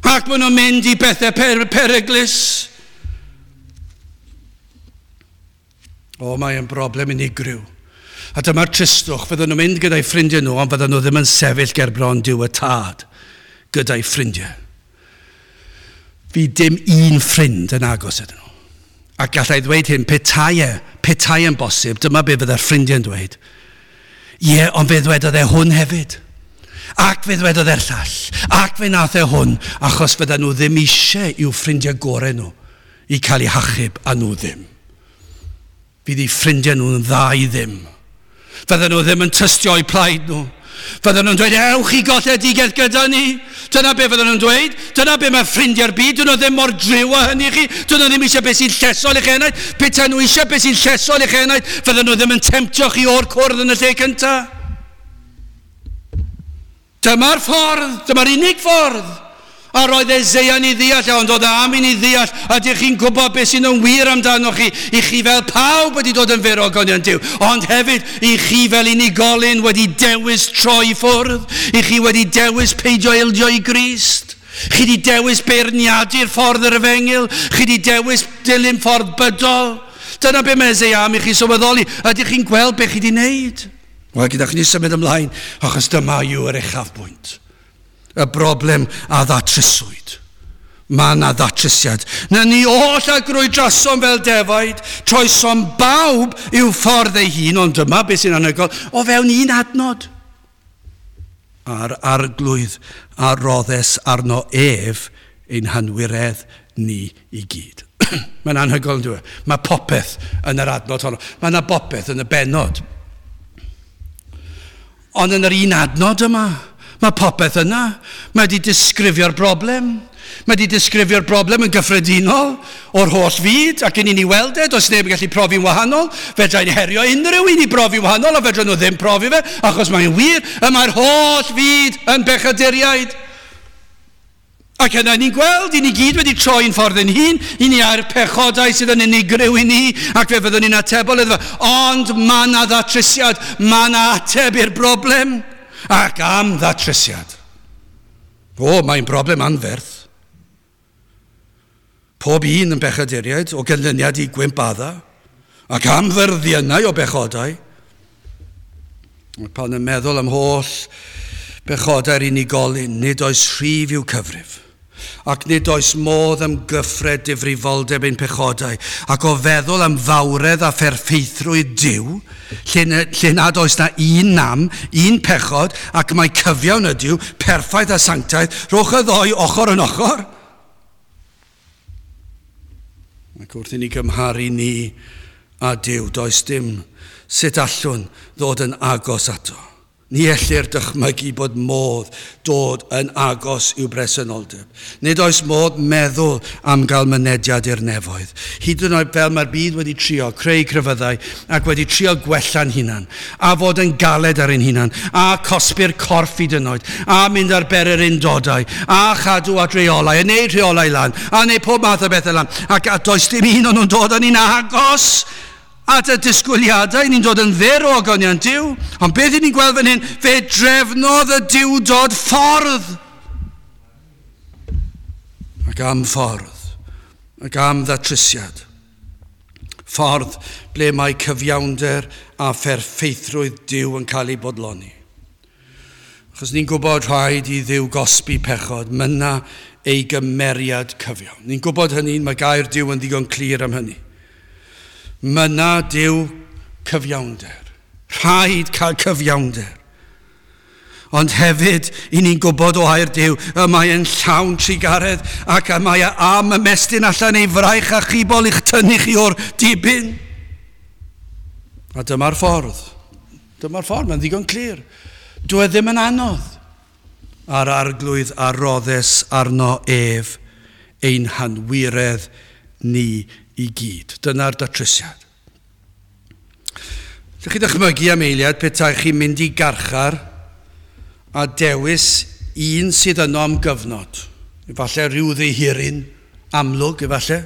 Ac maen nhw'n mynd i bethau peryglus. O, mae'n broblem unigryw. A dyma'r tristwch, fydden nhw'n mynd gyda'i ffrindiau nhw, ond fydden nhw ddim yn sefyll ger bron Duw y Tad gyda'i ffrindiau. Fydd dim un ffrind yn agos ydyn nhw. Ac gallai ddweud hyn, petai yn bosib, dyma be fydde'r ffrindiau'n dweud. Ie, ond fe ddwedodd e hwn hefyd. Ac fe ddwedodd e'r llall. Ac fe nath e hwn, achos fydden nhw ddim eisiau i'w ffrindiau gorau nhw i cael eu hachub a nhw ddim. Fydd eu ffrindiau nhw'n dda i ddim. Fydden nhw ddim yn tystio eu plaid nhw. Fydden nhw'n dweud, ewch i golledigaeth gyda ni. Dyna be fydden nhw'n dweud. Dyna be mae ffrindiau'r byd. Dyn nhw ddim mor driw â hynny i chi. Dyn nhw ddim eisiau beth sy'n llesol i'ch enaid. Petai nhw eisiau beth sy'n llesol i'ch enaid, fydden nhw ddim yn temtio chi o'r cwrdd yn y lle cyntaf. Dyma'r ffordd, dyma'r unig ffordd. A roedd Eseia'n ei ddeall, ond oedd am i ni ddeall, a ydych chi'n gwybod beth sy'n yn wir amdano chi, i chi fel pawb wedi dod yn fyr o ogoniant Duw, ond hefyd i chi fel unigolyn wedi dewis troi ffwrdd, i chi wedi dewis peidio ildio i Grist. Chi wedi dewis beirniadu'r ffordd yr efengyl, chi wedi dewis dilyn ffordd bydol. Dyna be mae Eseia am i chi sylweddoli. Ydych chi'n gweld beth chi wedi wneud? Wel, gyda chi ni symud ymlaen, achos dyma yw yr uchafbwynt. Y broblem a ddatryswyd. Mae yna ddatrysiad. Na ni oll a grwydrasom fel defaid, troesom bawb i'w ffordd ei hun, ond dyma beth sy'n anhygoel, o fewn un adnod. A'r Arglwydd a roddes arno ef ein hanwiredd ni i gyd. Mae'n anhygoel, yn dweud. Mae popeth yn yr adnod honno. Mae yna bopeth yn y bennod. Ond yn yr un adnod yma, mae popeth yna. Mae wedi disgrifio'r broblem. Mae wedi disgrifio'r broblem yn gyffredinol o'r holl fyd, ac yn i ni weld e, does neb yn gallu profi'n wahanol. Fedrai'n herio unrhyw un i brofi'n wahanol, a fedra nhw ddim profi fe, achos mae'n wir, y mae'r holl fyd yn bechaduriaid. Ac yna ni'n gweld, i ni gyd wedi troi'n ffordd yn hun, i ni ar pechodau sydd yn unigryw i ni, ac fe fyddwn ni'n atebol iddo fe. Ond mae yna ddatrysiad, mae yna ateb i'r broblem, ac am ddatrysiad. O, mae'n broblem anferth. Pob un yn bechaduriaid o ganlyniad i gwymp Adda, ac am fyrddiynau o bechodau. Pan yn meddwl am holl bechodau'r unigolyn, nid oes rhif i'w cyfrif, ac nid oes modd ymgyffred difrifoldeb ein pechodau, ac o feddwl am fawredd a pherffeithrwydd Duw, lle nad oes na un nam, un pechod, ac mae cyfiawn ydyw, perffaith a sanctaidd, rhowch y ddou ochr yn ochr. Ac wrth i ni gymharu ni a Duw, does dim sut allwn ddod yn agos ato. Ni ellir dychmygu bod modd dod yn agos i'w bresenoldeb. Nid oes modd meddwl am gael mynediad i'r nefoedd. Hyd yn oed fel mae'r byd wedi trio creu crefyddau ac wedi trio gwella'n hunan, a fod yn galed ar ein hunan, a cosbi'r corff hyd yn oed, a mynd ar ber yr undodau, a chadw at reolau, a neud rheolau lan, a neud pob math o bethau lan, ac a does dim un o'n nhw'n dod â ni'n agos at y disgwyliadau, ni'n dod yn fyr o ogoniant Duw. Ond beth ni'n gweld fan hyn? Fe drefnodd y Duwdod ffordd. Ac am ffordd, ac am ddatrysiad. Ffordd ble mae cyfiawnder a pherffeithrwydd Duw yn cael ei bodloni. Achos ni'n gwybod rhaid i Dduw gosbi pechod, mynna ei gymeriad cyfiawn. Ni'n gwybod hynny, mae gair Duw yn ddigon clir am hynny. Mynna Duw cyfiawnder. Rhaid cael cyfiawnder. Ond hefyd, i ni'n gwybod o air Duw, y mae e'n llawn trugaredd ac y mae e am ymestyn allan ei fraich achubol i'ch tynnu chi o'r dibyn. A dyma'r ffordd. Dyma'r ffordd, mae'n ddigon clir. Dyw e ddim yn anodd. A'r arglwydd a roddes arno ef ein hanwiredd ni i gyd. Dyna'r datrysiad. Llwch chi ddychmygu am eiliad petai chi'n mynd i garchar a dewis un sydd yno am gyfnod. Efallai rhyw ddihiryn amlwg, efallai.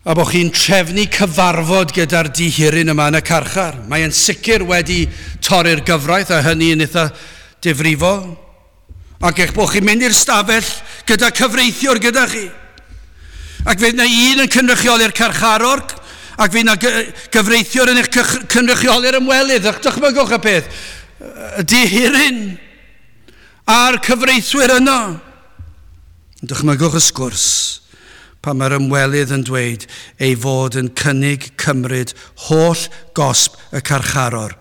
A bod chi'n trefnu cyfarfod gyda'r dihiryn yma yn y carchar. Mae'n sicr wedi torri'r gyfraith a hynny yn eitha difrifol. Ac eich bod chi'n mynd i'r stafell gyda cyfreithiwr gyda chi. Ac fydd yna un yn cynrychioli'r carcharor, ac fydd yna gyfreithiwr yn eich cynrychioli'r ymwelydd. Ac dychmygwch y peth, y dihiryn a'r cyfreithwyr yno. Dychmygwch y sgwrs pan mae'r ymwelydd yn dweud ei fod yn cynnig cymryd holl gosb y carcharor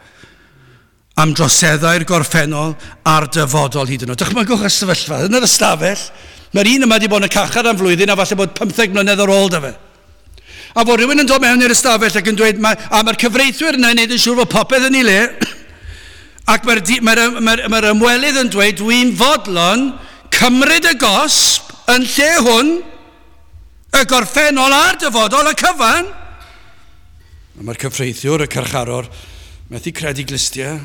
am droseddau'r gorffennol a'r dyfodol hyd yn oed. Dychmygwch y sefyllfa yn yr ystafell. Mae'r un yma wedi bod yn y carchar am flwyddyn a falle bod 15 mlynedd ar ôl da fe. A fod rhywun yn dod mewn i'r ystafell ac yn dweud, a mae'r cyfreithwyr yna yn neud yn siŵr fod popeth yn ei le, ac mae'r ymwelydd yn dweud, dwi'n fodlon cymryd y gosb yn lle hwn, y gorffennol a'r dyfodol, y cyfan. A mae'r cyfreithiwr, y carcharor, methu credu glustiau,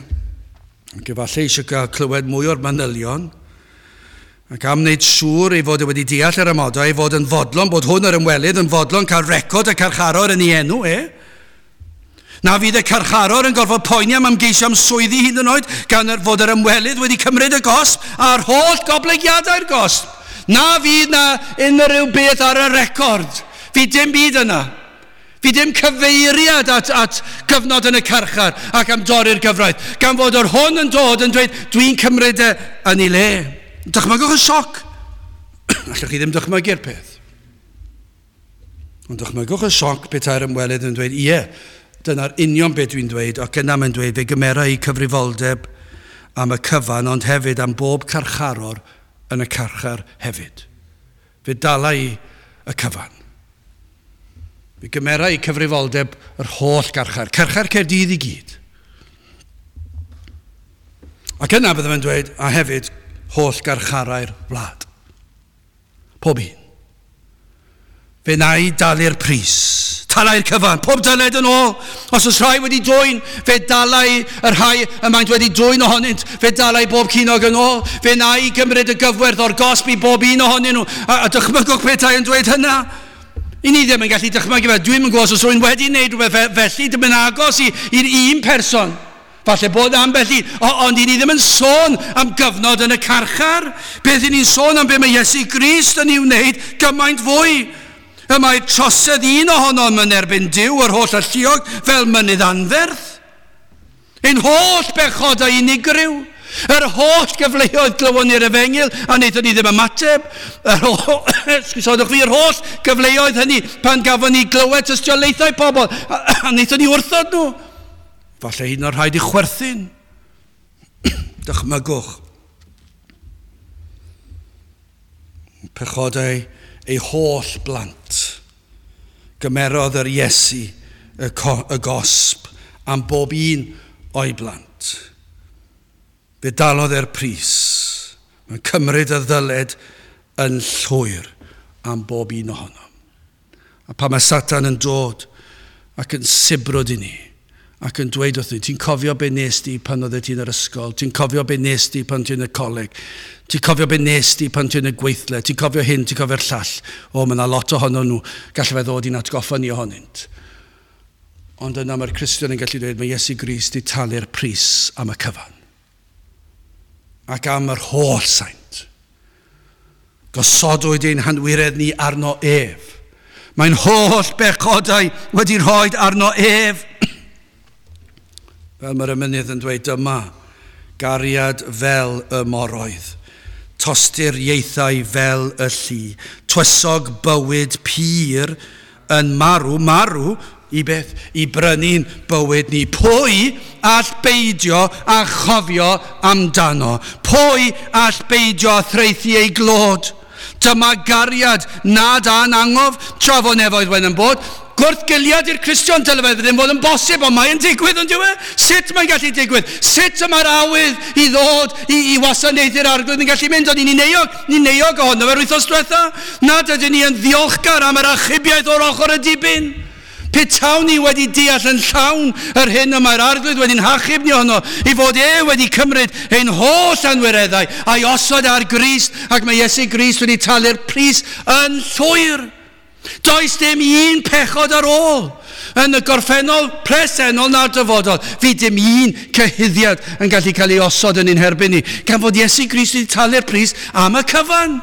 ac efallai eisiau cael clywed mwy o'r manylion, ac am wneud siŵr ei fod e wedi deall yr amodau, ei fod yn fodlon, bod hwn yr ymwelydd yn fodlon cael record y carcharor yn ei enw e. Na fydd y carcharor yn gorfod poeni am ymgeisio am swyddi hyd yn oed, gan fod yr ymwelydd wedi cymryd y gosb a'r holl goblygiadau'r gosb. Na fydd na unrhyw beth ar y record. Fydd dim byd yna. Fydd dim cyfeiriad at gyfnod yn y carchar ac am dorri'r gyfraith. Gan fod yr hwn yn dod yn dweud, dwi'n cymryd e yn ei le. Dychmygwch y sioc. Allwch chi ddim dychmygu'r peth. Ond dychmygwch y sioc petai'r ymwelydd yn dweud, ie, dyna'r union beth dwi'n dweud, ac yna mae'n dweud, fe gymera i cyfrifoldeb am y cyfan, ond hefyd am bob carcharor yn y carchar hefyd. Fe dala i y cyfan. Fe gymera i cyfrifoldeb yr holl garchar, carchar Caerdydd i gyd. Ac yna bydde fe'n dweud, a hefyd, holl garcharau'r wlad. Pob un. Fe na i dalu'r pris. Talai'r cyfan, pob dyled yn ôl. Os oes rhai wedi dwyn, fe dalai y rhai y maent wedi dwyn ohonynt. Fe dalai bob cinog yn ôl. Fe na i gymryd y gyfwerth o'r gosb i bob un ohonyn nhw. A dychmygwch petai yn dweud hynna. I ni ddim yn gallu dychmygu fe. Dwi'm yn gwybod os oes rhywun wedi wneud rhywbeth felly, dim yn agos i'r un person. Falle bod ambell un, ond i ni ddim yn sôn am gyfnod yn y carchar. Beth i ni'n sôn am be mae Iesu Grist yn ei wneud gymaint fwy. Y mae trosedd un ohonom yn erbyn Duw yr holl alluog fel mynydd anferth. Ein holl bechodau unigryw. Yr holl gyfleoedd glywon ni'r efengyl a wnaethon ni ddim ymateb. Yr holl, yr holl gyfleoedd hynny pan gafon ni glywed tystiolaethau pobl a wnaethon ni wrthod nhw. Falle hyd yn oed rhaid i chwerthin. Dychmygwch. Pechodau ei holl blant. Gymerodd yr Iesu y gosb am bob un o'i blant. Fe dalodd e'r pris. Mae'n cymryd y ddyled yn llwyr am bob un ohonom. A pan mae Satan yn dod ac yn sibrwd i ni, ac yn dweud wrth ni, ti'n cofio be nes di pan oeddet ti'n yr ysgol, ti'n cofio be nes di pan ti'n y coleg, ti'n cofio be nes di pan ti'n y gweithle, ti'n cofio hyn, ti'n cofio'r llall. O, mae yna lot ohono nhw, gallai fe ddod i'n atgoffa ni ohonynt. Ond yna mae'r Cristion yn gallu dweud, mae Iesu Grist di talu'r pris am y cyfan. Ac am yr holl saint. Gosodwyd ein hanwiredd ni arno ef. Mae'n holl bechodau wedi rhoi arno ef. Fel mae'r emynydd yn dweud, dyma gariad fel y moroedd, tostir ieithau fel y llu, twysog bywyd pur yn marw, marw i beth, i brynu'n bywyd ni. Pwy all beidio a chofio amdano? Pwy all beidio a threithi ei glod? Dyma gariad nad a'n angof, tra fo nefoedd wen yn bod. Gwrthgiliad i'r Cristion, dyle fe ddim fod yn bosib, ond mae'n digwydd yn dyw e? Sut mae'n gallu digwydd? Sut y mae'r awydd i ddod i wasanaethu'r Arglwydd yn gallu mynd? Ond ni'n euog ohono fe'r wythnos diwetha. Nad ydyn ni yn ddiolchgar am yr achubiaeth o'r ochr y dibyn. Petawn ni wedi deall yn llawn yr hyn y mae'r Arglwydd wedi'n hachub ni ohono, i fod e wedi cymryd ein holl anwireddau a'i osod ar Grist, ac mae Iesu Grist wedi talu'r pris yn llwyr. Does dim un pechod ar ôl yn y gorffennol, presennol na'r dyfodol. Fi dim un cyhuddiad yn gallu cael ei osod yn ein herbyn ni, gan fod Iesu Grist wedi talu'r pris am y cyfan.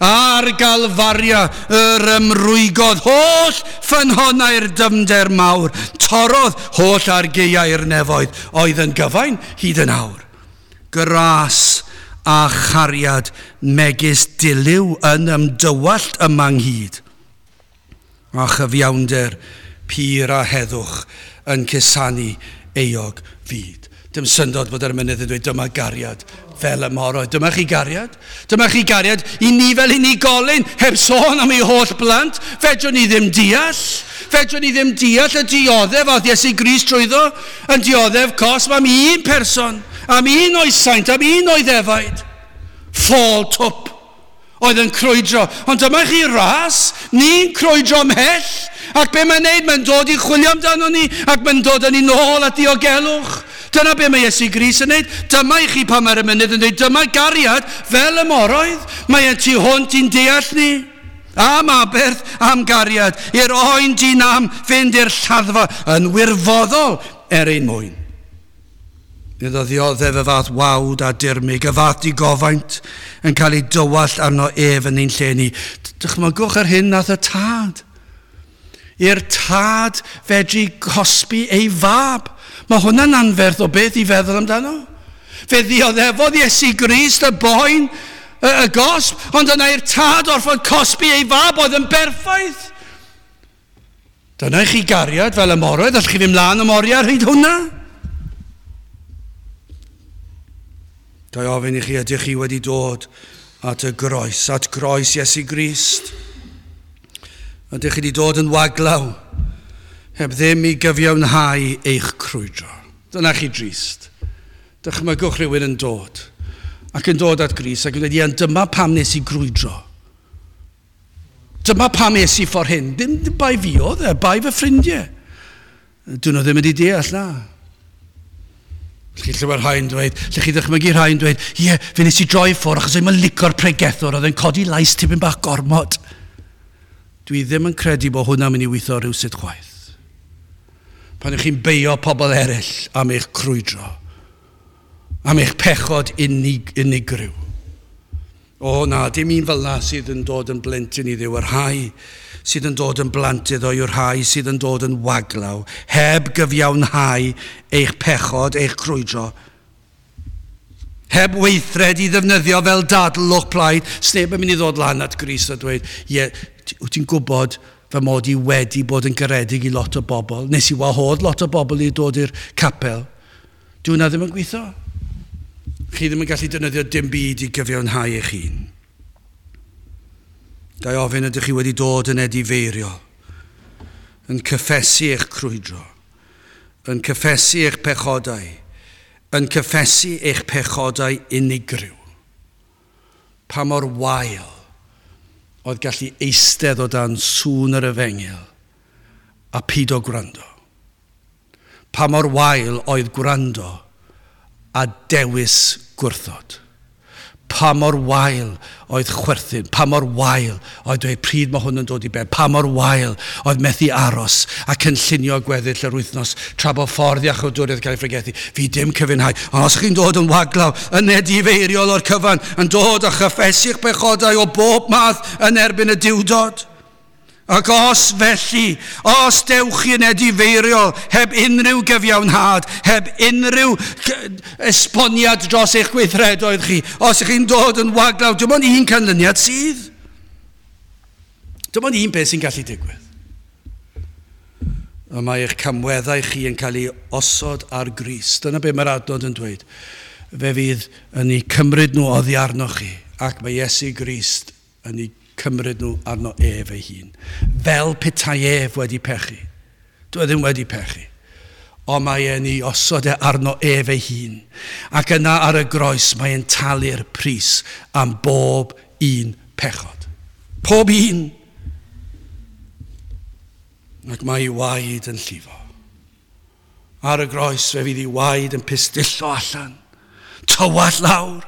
Ar Galfaria yr ymrwygodd holl ffynhonnau'r dyfnder mawr, torrodd holl argeiau'r nefoedd oedd yn gyfain hyd yn awr. Gras a chariad megis dilyw yn ymdywallt yma ynghyd, a chyfiawnder pur a heddwch yn cusanu euog fyd. Dim syndod bod yr emynydd yn dweud dyma gariad fel y moroedd. Dyma chi gariad. Dyma chi gariad i ni fel unigolyn, heb sôn am ei holl blant. Fedrwn ni ddim deall. Fedrwn ni ddim deall y dioddef oedd Iesu Grist trwyddo, yn dioddef cosb am un person, am un o'i saint, am un o'i ddefaid. Ffôl twp oedd yn crwydro. Ond dyma chi ras, ni'n crwydro ymhell. Ac be mae'n neud? Mae'n dod i chwilio amdano ni, ac mae'n dod â ni nôl at diogelwch. Dyna be mae Iesu Grist yn neud. Dyma i chi pan mae'r emynydd yn dweud, dyma gariad fel y moroedd. Mae e'n tu hwnt i'n deall ni. Am aberth, am gariad, i'r oen dyn am fynd i'r lladdfa yn wirfoddol er ein mwyn. Iddo ddioddef y fath wawd a dirmyg, y fath digofaint yn cael ei dywallt arno ef yn ein lle ni. Dychmygwch yr hyn nath y tad. I'r tad fedru cosbi ei fab. Mae hwnna'n anferth o beth i feddwl amdano. Fe ddioddefodd Iesu Grist y boen, y gosb, ond yna i'r tad orfod cosbi ei fab oedd yn berffaith. Dyna i chi gariad fel y moroedd, allwch chi fynd mlaen am oriau ar hyd hwnna? Ga i ofyn i chi, ydych chi wedi dod at y groes, at groes Iesu Grist? Ydych chi wedi dod yn waglaw, heb ddim i gyfiawnhau eich crwydro? Dyna chi drist. Dychmygwch rhywun yn dod Ac yn dod at Grist ac yn dweud, ie, dyma pam nes i grwydro. Dyma pam es i ffordd hyn. Dim bai fi oedd e, bai fy ffrindiau. Dyn nhw ddim wedi deall na. Lle chi clywed rhai'n dweud, lle chi ddychmygu rhai'n dweud, ie, fe nes i droi ffwrdd achos o'n i'n licio'r pregethwr oedd yn codi lais tipyn bach gormod. Dwi ddim yn credu bod hwnna'n mynd i weithio rhywsut chwaith. Pan ych chi'n beio pobl eraill am eich crwydro, am eich pechod unigryw. O na, dim un fel na sydd yn dod yn blentyn i Dduw. Y rhai sydd yn dod yn blant iddo yw'r rhai sydd yn dod yn waglaw, heb gyfiawnhau eich pechod, eich crwydro. Heb weithred i ddefnyddio fel dadl o'ch plaid, sneb yn mynd i ddod lan at Grist a dweud, ie, wyt ti'n gwybod fy mod i wedi bod yn garedig i lot o bobl. Nes i wahodd lot o bobl i dod i'r capel. Dyw hwnna ddim yn gweithio. Chi ddim yn gallu defnyddio dim byd i gyfiawnhau eich hun. Ga i ofyn, ydych chi wedi dod yn edifeiriol, yn cyffesu eich crwydro, yn cyffesu eich pechodau, yn cyffesu eich pechodau unigryw. Pa mor wael oedd gallu eistedd o dan sŵn yr efengyl a pido gwrando. Pa mor wael oedd gwrando a dewis gwrthod. Pa mor wael oedd chwerthin, pa mor wael oedd dweud pryd mae hwn yn dod i ben, pa mor wael oedd methu aros a cynllunio gweddill yr wythnos tra bod ffordd iachawdwriaeth cael ei phregethu. Fi dim cyfiawnhau. Ond os chi'n dod yn waglaw, yn edifeiriol o'r cyfan, yn dod a chyffesu'ch pechodau o bob math yn erbyn y Duwdod. Ac os felly, os dewch chi yn edifeiriol, heb unrhyw gyfiawnhad, heb unrhyw esboniad dros eich gweithredoedd chi, os ych chi'n dod yn waglaw, dim ond un canlyniad sydd. Dim ond un beth sy'n gallu digwydd. Y mae eich camweddau chi yn cael ei osod ar Grist. Dyna be mae'r adnod yn dweud. Fe fydd yn ei cymryd nhw oddi arnoch chi, ac mae Iesu Grist yn ei cymryd nhw arno ef ei hun. Fel petai ef wedi pechu. Dwi ddim wedi pechu. Ond mae e'n ei osod e arno ef ei hun. Ac yna ar y groes mae e'n talu'r pris am bob un pechod. Pob un. Ac mae ei waed yn llifo. Ar y groes fe fydd ei waed yn pistillo allan. Tywallt lawr.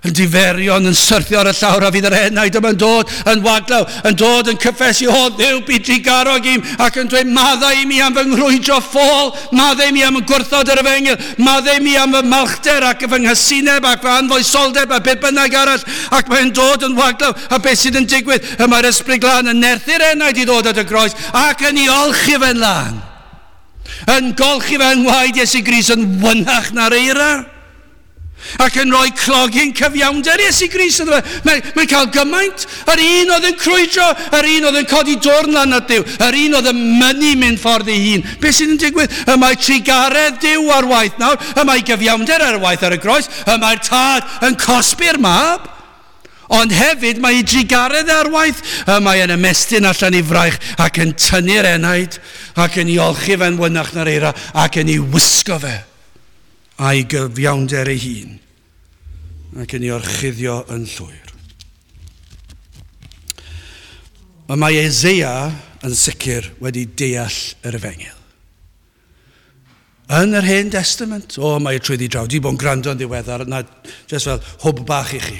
Yn diferion, yn syrthio ar y llawr, a fydd yr enaid yma'n dod yn waglaw, yn dod yn cyffesu, o Dduw, bu drugarog i'm, ac yn dweud, maddau i mi am fy nghrwydro ffôl, maddau i mi am y gwrthod yr efengyl, maddau i mi am fy malchder ac fy nghysineb ac fy anfoesoldeb a beth bynnag arall, ac mae'n dod yn waglaw, a beth sydd yn digwydd, y mae'r Ysbryd Glân yn nerthu'r enaid i ddod at y groes, ac yn ei olchi fe'n lân, yn golchi fe'n ngwaed Iesu Grist yn wynach na'r eira. Ac yn rhoi clogyn cyfiawnder Iesu Grist iddo fe. Mae'n cael gymaint. Yr un oedd yn crwydro, yr un oedd yn codi dwrn lan at Dduw, yr un oedd yn mynnu mynd ffordd ei hun. Beth sydd yn digwydd? Y mae trugaredd Duw ar waith nawr, y mae gyfiawnder ar waith ar y groes, y mae'r tad yn cosbi'r mab. Ond hefyd mae ei drugaredd ar waith. Y mae yn ymestyn allan i fraich ac yn tynnu'r enaid ac yn ei olchi fe'n wynach na'r eira ac yn ei wisgo fe a'i gyfiawnder ei hun ac yn ei orchuddio yn llwyr. Y mae Eseia yn sicr wedi deall yr efengyl. Yn yr Hen Testament, o, mae trwyddi draw. Dwi bod yn gwrando yn ddiweddar, na, just fel hwb bach i chi.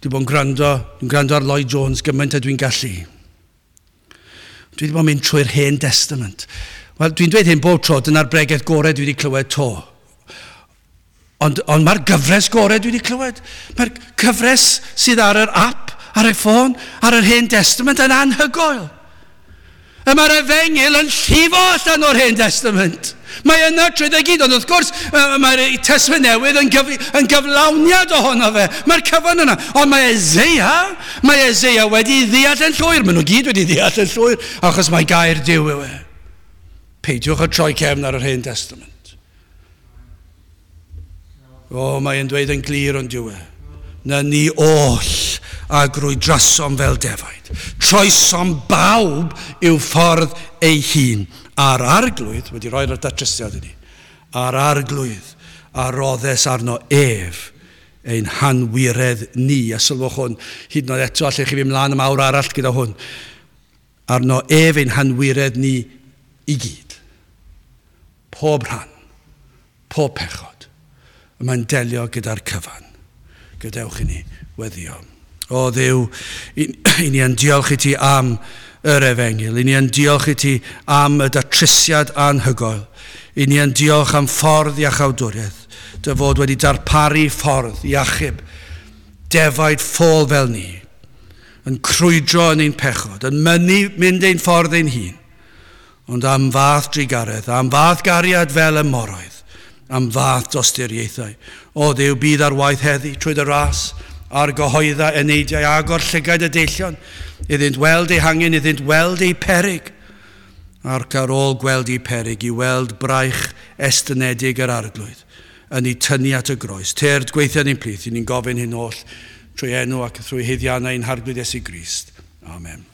Dwi bod yn gwrando, dwi'n gwrando ar Lloyd Jones gymaint a dwi'n gallu. Dwi wedi bod yn mynd trwy'r Hen Testament. Wel, dwi'n dweud hyn bob tro, dyna'r bregeth gorau dwi wedi clywed to. Ond mae'r gyfres gorau dwi wedi clywed. Mae'r cyfres sydd ar yr app, ar y ffôn, ar yr Hen Testament yn anhygoel. Y mae'r efengyl yn llifo allan o'r Hen Testament. Mae yna trwy gyd, ond wrth gwrs, mae'r Testament Newydd yn gyflawniad ohono fe. Mae'r cyfan yna. Ond mae Eseia wedi ddeall yn llwyr. Maen nhw gyd wedi ddeall yn llwyr, achos mae gair Duw yw e. Peidiwch â troi cefn ar yr Hen Testament. O, mae'n dweud yn glir ond dyw e. Na ni oll a grwydrasom fel defaid. Troesom bawb i'w ffordd ei hun. A'r arglwydd, wedi rhoi'r datrysiad i ni, a'r arglwydd a roddes arno ef ein hanwiredd ni. A sylwch hwn, hyd yn oed eto, allech chi fynd mlaen am awr arall gyda hwn. Arno ef ein hanwiredd ni i gyd. Pob rhan, pob pechod. Y mae'n delio gyda'r cyfan. Gadewch i ni weddio. O Dduw, i, i ni yn diolch i ti am yr efengyl. I ni yn diolch i ti am y datrysiad anhygoel. I ni yn diolch am ffordd iachawdwriaeth. Dy fod wedi darparu ffordd i achub defaid ffôl fel ni, yn crwydro yn ein pechod, yn mynnu mynd ein ffordd ein hun, ond am fath drugaredd, am fath gariad fel y moroedd, am fath dosturiaethau. O Dduw, bydd ar waith heddi trwy dy ras, a'r gyhoedda eneidiau, agor llygaid y deillion, iddynt weld eu hangen, iddynt weld eu perig, ac ar ôl gweld eu perig, i weld braich estynedig yr Arglwydd, yn ei tynnu at y groes. Tyrd gweithio ni'n plith, i ni'n gofyn hyn oll trwy enw ac trwy haeddiannau ein Harglwydd Iesu Grist. Amen.